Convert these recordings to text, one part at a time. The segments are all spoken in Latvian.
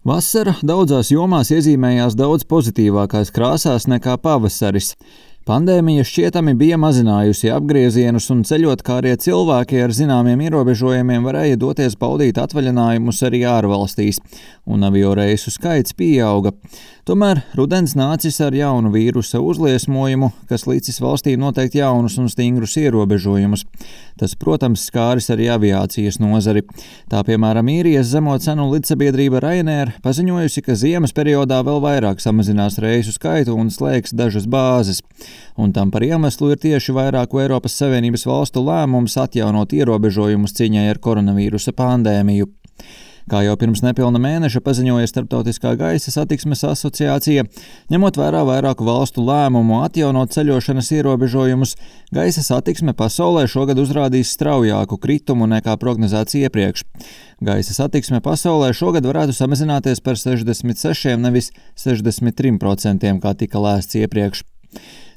Vasara daudzās jomās iezīmējās daudz pozitīvākās krāsās nekā pavasaris. Pandēmija šķietami bija mazinājusi apgriezienus un ceļot, kā arī cilvēki ar zināmiem ierobežojumiem varēja doties baudīt atvaļinājumus arī ārvalstīs, un avioreisu skaits pieauga. Tomēr rudens nācis ar jaunu vīrusa uzliesmojumu, kas licis valstī noteikt jaunus un stingrus ierobežojumus. Tas, protams, skāris arī aviācijas nozari. Tā, piemēram, īrijas zemo cenu lidsabiedrība Ryanair paziņojusi, ka ziemas periodā vēl vairāk samazinās reisu skaitu un slēgs dažas bāzes. Un tam par iemeslu ir tieši vairāku Eiropas Savienības valstu lēmums atjaunot ierobežojumus cīņai ar koronavīrusa pandēmiju. Kā jau pirms nepilna mēneša paziņoja Starptautiskā gaisa satiksmes asociācija, ņemot vērā vairāku valstu lēmumu atjaunot ceļošanas ierobežojumus, gaisa satiksme pasaulē šogad uzrādīs straujāku kritumu nekā prognozēts iepriekš. Gaisa satiksme pasaulē šogad varētu samazināties par 66, nevis 63%, kā tika lēsts iepriekš.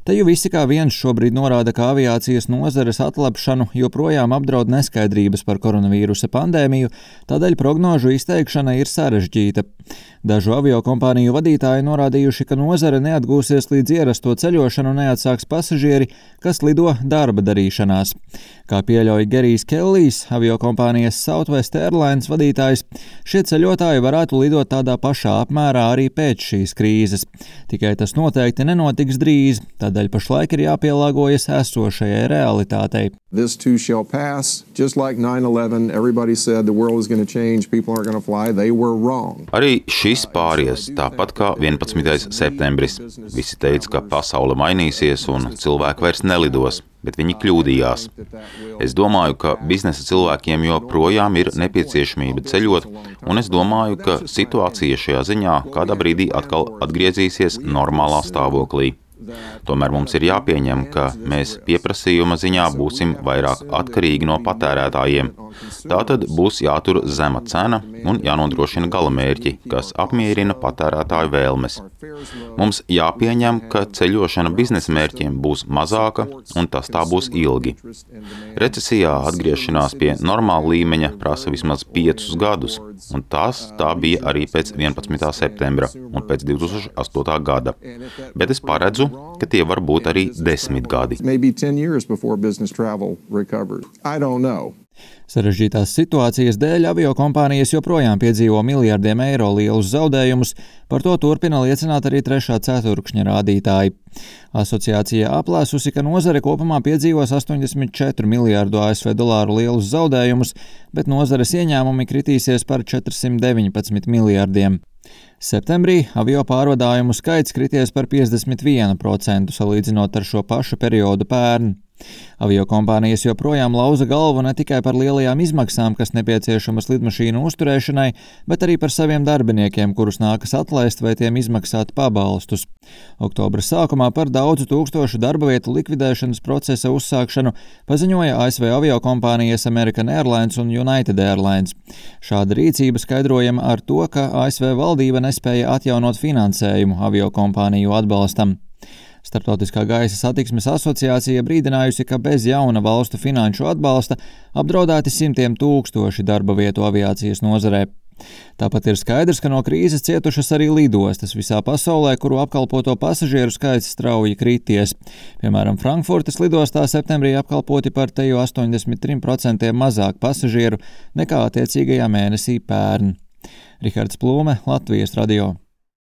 Te jau visi kā viens šobrīd norāda, ka aviācijas nozares atlapšanu joprojām apdraud neskaidrības par koronavīrusa pandēmiju, tādēļ prognožu izteikšana ir sarežģīta. Dažu aviokompāniju vadītāji norādījuši, ka nozare neatgūsies līdz ierasto ceļošanu neatsāks pasažieri, kas lido darba darīšanās. Kā pieļauj Gerijs Kellijs, aviokompānijas Southwest Airlines vadītājs, šie ceļotāji varētu lidot tādā pašā apmērā arī pēc šīs krīzes. Tikai tas noteikti nenotiks drīz, tādēļ pašlaik ir jāpielāgojas esošajai realitātei. This too shall pass. Just like 9/11, everybody said the world is going to change, people aren't going to fly. They were wrong. Arī šis pāries, tāpat kā 11. septembris. Visi teica, ka pasaule mainīsies un cilvēki vairs nelidos, bet viņi kļūdījās. Es domāju, ka biznesa cilvēkiem joprojām ir nepieciešamība ceļot, un es domāju, ka situācija šajā ziņā kādā brīdī atkal atgriezīsies normālā stāvoklī. Tomēr mums ir jāpieņem, ka mēs pieprasījuma ziņā būsim vairāk atkarīgi no patērētājiem. Tātad būs jātur zema cena un jānodrošina galamērķi, kas apmierina patērētāju vēlmes. Mums jāpieņem, ka ceļošana biznesa mērķiem būs mazāka, un tas tā būs ilgi. Recesijā atgriešanās pie normāla līmeņa prasa vismaz 5 gadus, un tā bija arī pēc 11. septembra un pēc 2008. gada. Bet es paredzu, ka tie var būt arī 10 gadi. Sarežģītās situācijas dēļ aviokompānijas joprojām piedzīvo miljardiem eiro lielus zaudējumus, par to turpina liecināt arī trešā ceturkšņa rādītāji. Asociācija aplēsusi, ka nozare kopumā piedzīvos 84 miljārdu ASV dolāru lielus zaudējumus, bet nozares ieņēmumi kritīsies par 419 miljārdiem. Septembrī avio pārvadājumu skaits krities par 51% salīdzinot ar šo pašu periodu pērn. Aviokompānijas joprojām lauza galvu ne tikai par lielajām izmaksām, kas nepieciešamas lidmašīnu uzturēšanai, bet arī par saviem darbiniekiem, kurus nākas atlaist vai tiem izmaksāt pabalstus. Oktobra sākumā par daudzu tūkstošu darba vietu likvidēšanas procesa uzsākšanu paziņoja ASV aviokompānijas American Airlines un United Airlines. Šāda rīcība skaidrojama ar to, ka ASV valdība nespēja atjaunot finansējumu aviokompāniju atbalstam. Starptautiskā gaisa satiksmes asociācija brīdinājusi, ka bez jauna valstu finanšu atbalsta apdraudēti simtiem tūkstoši darba vietu aviācijas nozarē. Tāpat ir skaidrs, ka no krīzes cietušas arī lidostas visā pasaulē, kuru apkalpoto pasažieru skaits strauji krities. Piemēram, Frankfurtes lidostā septembrī apkalpoti par teju 83% mazāk pasažieru nekā attiecīgajā mēnesī pērn. Rihards Plūme, Latvijas radio.